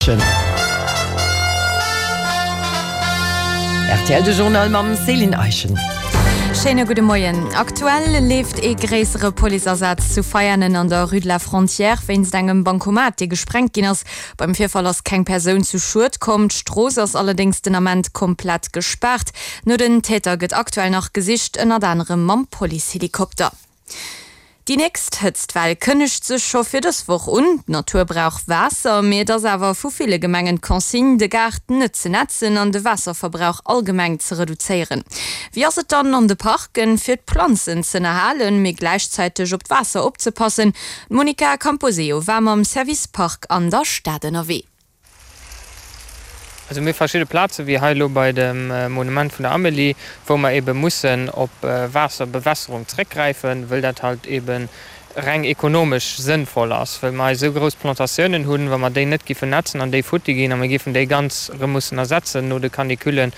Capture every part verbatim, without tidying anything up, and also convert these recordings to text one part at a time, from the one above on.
Rtl de Journal mam Céline Eischen. Schéine gudde Moien. Aktuell leeft ee gréissere Policeasaz zu Veianen an der Rue de la Frontière wéinst engem Bancomat, dee gesprengt ginn ass. Beim Virfall ass keng Persoun zu Schued komm, d'Strooss ass allerdéngs den Ament komplett gespaart. No den Täter gëtt aktuell nach gesicht, ënnert anerem mam Policehelikopter. Déi nächst Hëtztwell kënnegt sech scho fir dës Woch un. D'Natur brauch Waasser, mee et ass awer vu ville Gemengen d'Consigne, de Gaart net ze nätzen an de Waasserverbrauch allgemeng ze reduzéieren. Wéi ass et dann an de Parken, fir d'Planzen z'ënnerhalen, mee gläichzäiteg op d'Waasser opzepassen? D'Monica Camposeo war mam Service Park an der Stad ënnerwee. Also mir hu verschidde Plaze wéi hei elo bei dem Monument vun der Amélie, wou mer eebe mussen op Waasserbewässerung zréckgräifen, wëll dat halt eebe reng ekonomesch sënnvoll ass, wëll mer hei esou grouss Plantatiounen hunn, wa mer déi net giffen netzen an déi futti ginn a mer giffen déi ganz erëm mussen ersetzen no de Canicullen,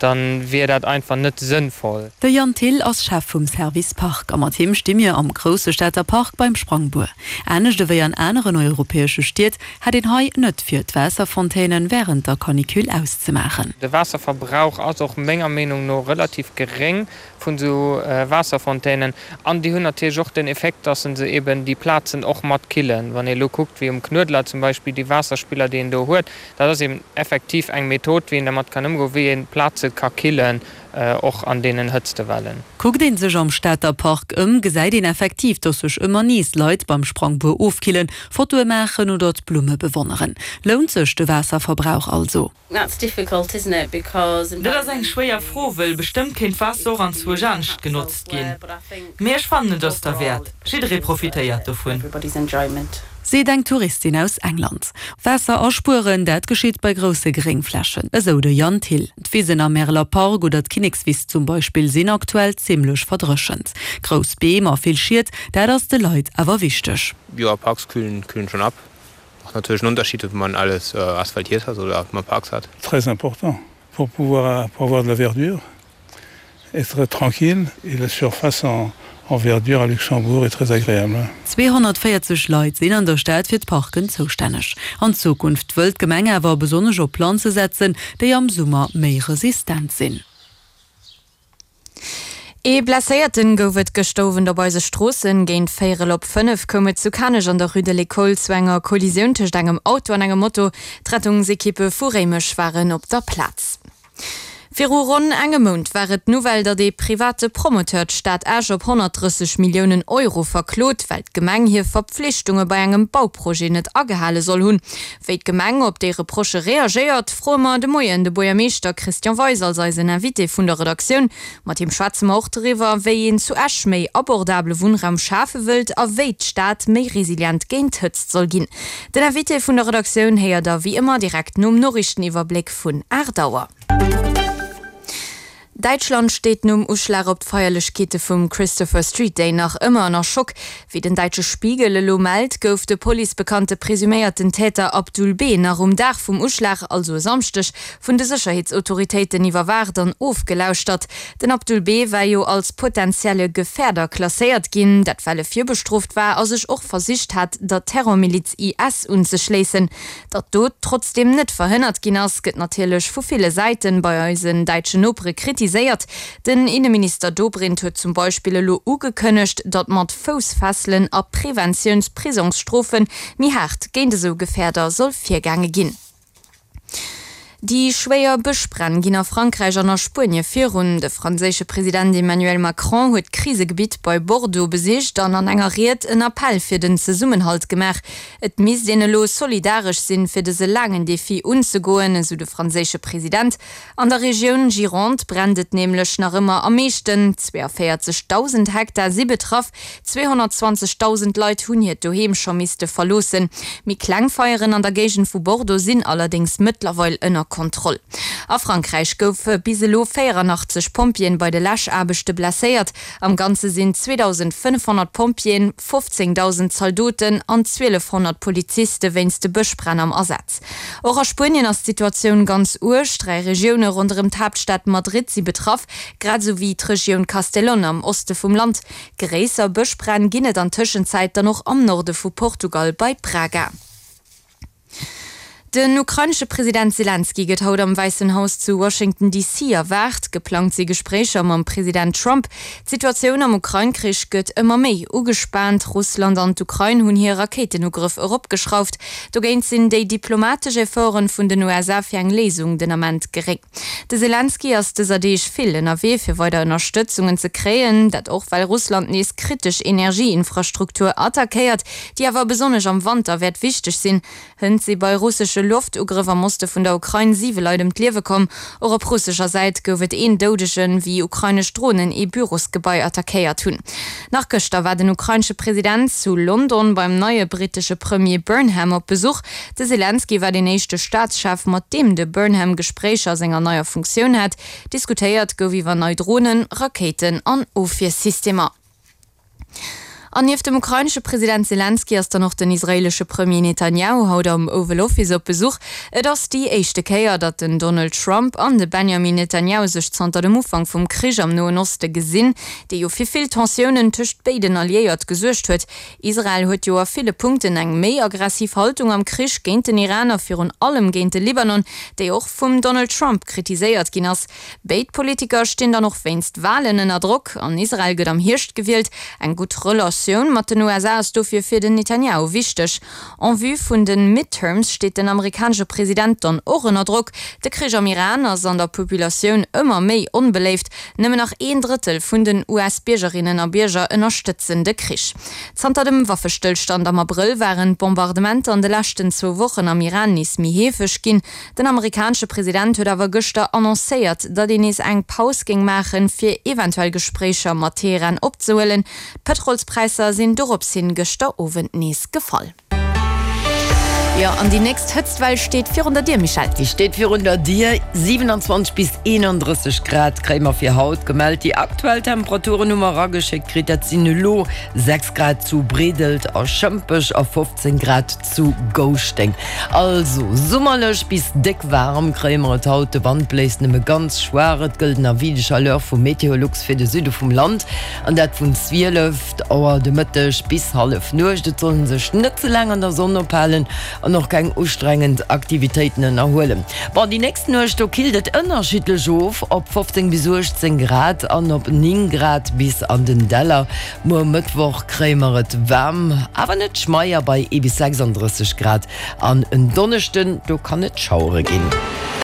dann wier dat einfach net sënnvoll. De Jan Thill ass Chef vum Service Park a mat him sti mir am grousse Stater Park beim Sprangbuer. Anescht ewéi an aneren europäesche Stied hätt een hei net fir d'Waasserfontänen wärend der Canicule auszemaachen. De Waasserverbrauch ass och menger Meenung no relativ geréng vun esou Waasserfontänen an déi hunn natierlech och den Effekt, dass se eben déi Plazen och mat killen. Wann ee elo kuckt wéi um Knuedler zum Beispill déi Waasserspiller déi een do huet, dat ass eben effektiv eng Method, wéi een dermat kann ëmgoen, wéi een Plaze ka killen, och an deenen Hëtztewellen. Kuckt een sech am Stater Park ëm, gesäit een effektiv, dass sech ëmmer nees Leit beim Sprangbuer ofkillen, Fotoe maachen oder d'Blumme bewonneren. Lount sech de Waasserverbrauch also? Dat ass eng schwéier Fro, wëll bestëmmt kéint d'Waasser och anzwousch anescht genotzt ginn. Mee ech fannen, et ass derwäert. Jidderee profitéiert dovun. Seet eng Touristin aus England. Waasser aspueren, dat geschitt bei grousse Gréngflächen, esou de Jan Thill. D'Wisen am Märeler Park oder d'Kinnekswiss zum Beispill sinn aktuell zimmlech verdréchent. Grouss Beem a vill Schied, dat ass de Leit awer wichteg. Jo, Parks kühlen kühlen schon ab. Macht natürlich einen Unterschied, ob man alles asphaltiert hat oder ob man Parks hat. Très important pour pouvoir pour avoir de la verdure, être tranquille et la surface en en verdure à Luxembourg est très agréable. Zweehonnertvéierzeg Leit sinn an der Stad fir d'Parken zoustänneg. An Zukunft wëllt d'Gemeng awer besonnesch op Planze setzen, déi am Summer méi resistent sinn. Ee Blesséierten gouf et gëschter Owend op eise Stroossen. Géint véierel op fënnef koum et zu Kanech an der Rue de l'École zu enger Kollisioun tëscht engem Auto an engem Moto. D'Rettungsekippe vu Réimech waren op der Plaz. Viru ronn engem Mount war et d'Nouvelle, datt ee private Promoteur d'Stad Esch op honnertdrësseg Milliounen Euro verklot, well d'Gemeng hir Verpflichtunge bei engem Bauprojet net agehale soll hunn. Wéi d'Gemeng op déi Reprochë reagéiert, froe mer de Moien de Buergermeeschter Christian Weis als eisen Invité vun der Redaktioun. Mat him schwätze mer och doriwwer, wéi een zu Esch méi abordabele Wunnraum schafe wëllt a wéi d'Stad méi resilient géint d'Hëtzt soll ginn. Den Invité vun der Redaktioun héiert der wéi ëmmer direkt nom Noriichteniwwerbléck vun aacht Auer. Däitschland steet nom Uschlag op d'Feierlechkeete vum Christopher Street Day nach ëmmer ënner Schock. Wéi den däitsche Spiegel elo mellt, gouf de Police bekannte presuméierten Täter Abdul B. nach um Dag vum Uschlag, also e Samschdeg, vun de Sécherheetsautoritéiten iwwerwaacht an ofgelauschtert. Den Abdul B. war jo als potentielle Gefährder klasséiert ginn, dat well e virbestrooft war a sech och versicht hat, der Terrormiliz I S unzeschléissen. Datt d'Dot trotzdeem net verhënnert ginn ass, gëtt natierlech vu ville Säiten bei eisen däitschen Nopere kritiséiert. Den Inneminister Dobrindt huet zum Beispill elo ugekënnegt, datt mat Foussfesselen a Preventiounsprisongsstrofe méi haart géint esou Gefäerder soll virgaange ginn. Déi schwéier Bëschbränn ginn a Frankräich an a Spuenie virun. De franséische President Emmanuel Macron huet d'Krisegebitt bei Bordeaux besicht an an enger Ried en Appell fir den Zesummenhalt gemaach. Et misst een elo solidaresch sinn, fir dëse laangen Defi unzegoen, esou de franséische President. An der Regioun Gironde brennt et nämlech nach ëmmer am meeschten. Zweienvéierzegdausend Hektar si betraff, zweehonnertzwanzegdausend Leit hunn hiert Doheem scho misste verloossen. Méi kleng Feieren an der Géigend vu Bordeaux sinn allerdéngs mëttlerweil ënner Kontroll. A Frankräich goufe bis elo véierannachtzeg Pompjeeën bei de Läschaarbechte blesséiert. Am Ganze sinn zweedausendfënnefhonnert Pompjeeën, fofzéngdausend Zaldoten an zwielefhonnert Poliziste wéinst de Bëschbränn am Asaz. Och a Spuenien ass d'Situatioun ganz uerg. Dräi Regioune ronderëm d'Haaptstad Madrid si betraff, grad esou wéi d'Regioun Castellón am Oste vum Land. Gréisser Bëschbränn ginn et an Tëschenzäit dann och am Norde vu Portugal bei Braga. Den ukrainesche President Selenskyj gëtt haut am Wäissen Haus zu Washington D C erwaart. Geplangt si Gespréicher mam President Trump. D'Situatioun am Ukrain-Krich gëtt ëmmer méi ugespaant. Russland an d'Ukrain hunn hir Rakéitenugrëff eropgeschrauft. Dogéint sinn déi diplomatesch Efforte vun den U S A fir eng Léisung den Ament geréng. De Selenskyj ass dëser Deeg vill ënnerwee fir weider Ënnerstëtzungen ze kréien. Dat och well Russland nees kritesch Energieinfrastruktur attackéiert, déi awer besonnesch am Wanter wäert wichteg sinn. Hënt si bei russesche Loftugrëff am Oste vun der Ukrain siwe Leit ëm d'Liewe komm. Och op russescher Säit gouf et een Doudegen, wéi ukrainesch Dronen ee Bürosgebai attackéiert hunn. Nach gëschter war den ukrainesche President zu London beim neie brittesche Premier Burnham op Besuch. De Selenskyj war deen éischte Staatschef, mat deem de Burnham Gespréicher a senger neier Funktioun hat. Diskutéiert gouf iwwer nei Dronen, Rakéiten an Ofwiersystemer. An nieft dem ukrainesche President Selenskyj ass dann och den israeelesche Premier Netanjahu haut am Oval Office op Besuch. Et ass déi éischte Kéier, datt den Donald Trump an de Benjamin Netanjahu sech zanter dem Ufank vum Krich am Noen Oste gesinn, dee jo fir vill Tensiounen tëscht béiden Alliéierte gesuergt huet. Israel huet jo a ville Punkten eng méi aggressiv Haltung am Krich géint den Iran a virun allem géint de Libanon, déi och vum Donald Trump kritiséiert ginn ass. Béid Politiker stinn dann och wéinst Walen ënner Drock. An Israel gëtt am Hierscht gewielt. Eng gutt Relatioun mat den U S A ass dofir fir den Netanjahu wichteg. En vue vun de Midterms steet den amerikanesche President dann och ënner Drock. De Krich am Iran ass an der Populatioun ëmmer méi onbeléift. Nëmmen nach een Drëttel vun den U S-Biergerinnen a Bierger ënnerstëtzen de Krich. Zanter dem Waffestëllstand am Abrëll waren d'Bombardementer an de leschten zwou Wochen am Iran nees méi heefeg ginn. Den amerikanesche President huet awer gëschter annoncéiert, datt een nees eng Paus géing maachen, fir eventuell Gespréicher mat Teheran opzehuelen. D'Pëtrolspräisser sinn doropshin gëschter Owend nees gefall. Jo, an déi nächst Hëtztwell steet virun der Dier, Michèle. Déi steet virun der Dier, siewenundzwanzeg bis eenandrësseg Grad kréie mer fir haut gemellt. Déi aktuell Temperaturen hu mer erageschéckt kritt, dat sinn elo sechs Grad zu Bredelt a Schëmpech a fofzéng Grad zu Gouschteng. Also summerlech bis déck waarm kréie mer et haut. De Wand bléist nëmme ganz schwaach. Et gëllt en Avis de chaleur vu Meteolux fir de Süde vum Land an dat vun zwielef Auer de Mëtteg bis Hallefnuecht. Et soll ee sech net ze laang an der Sonn ophalen an och keng ustrengend Aktivitéiten ënnerhuelen. Bon, déi nächst Nuecht, do killt et ënnerschiddlech of, op fofzéng bis uechtzéng Grad an op néng Grad bis an den Däller. Muer Mëttwoch kréie mer et waarm, awer net schmeier bei ee bis sechsandrësseg Grad an en Donneschden, do kann et Schauere ginn.